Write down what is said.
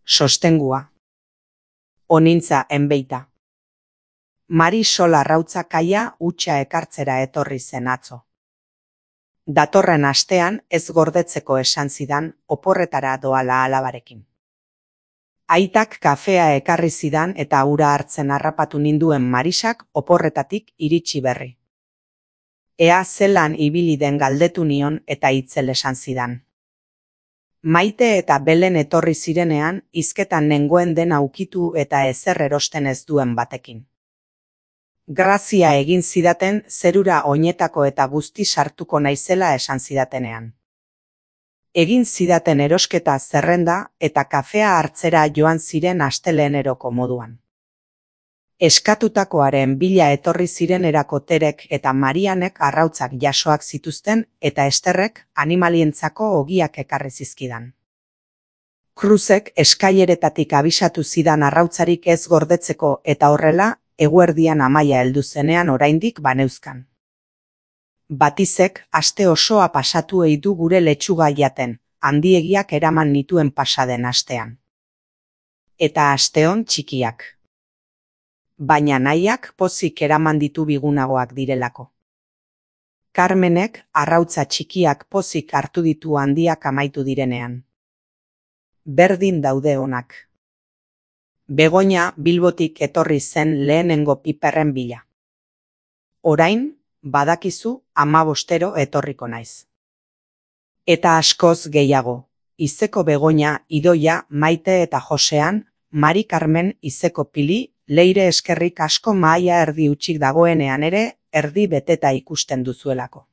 Sostengua. Onintza enbeita. Marisol Arrautza kaia hutsa ekartzera etorri zen atzo. Datorren astean ez gordetzeko esan zidan oporretara doala alabarekin. Aitak kafea ekarri zidan eta ura hartzen harrapatu ninduen Marisak oporretatik iritsi berri. Ea zelan ibili den galdetu nion eta itzel esan zidan. Maite eta Belen etorri zirenean hizketan nengoen dena ukitu eta ezer erosten ez duen batekin. Grazia egin zidaten zerura oinetako eta guzti sartuko naizela esan zidatenean. Egin zidaten erosketa zerrenda eta kafea hartzera joan ziren asteleheneroko moduan. Eskatutakoaren bila etorri zirenerako Terek eta Marianek arrautzak jasoak zituzten eta Esterrek animalientzako ogiak ekarri zizkidan. Cruzek eskaileretatik abisatu zidan arrautzarik ez gordetzeko eta horrela eguerdian Amaia heldu zenean oraindik baneuzkan. Batizek aste osoa pasatu ei du gure letxuga jaten, handiegiak eraman nituen pasaden astean. Eta asteon txikiak. Baina nahiak pozik eraman ditu bigunagoak direlako. Carmenek arrautza txikiak pozik hartu ditu handiak amaitu direnean. Berdin daude onak. Begoña Bilbotik etorri zen lehenengo piperren bila. Orain, badakizu 15 etorriko naiz. Eta askoz gehiago, Izeko Begoña, Idoia, Maite eta Josean, Mari Carmen, Izeko Pili, Leire eskerrik asko mahaia erdi utxik dagoenean ere, erdi beteta ikusten duzuelako.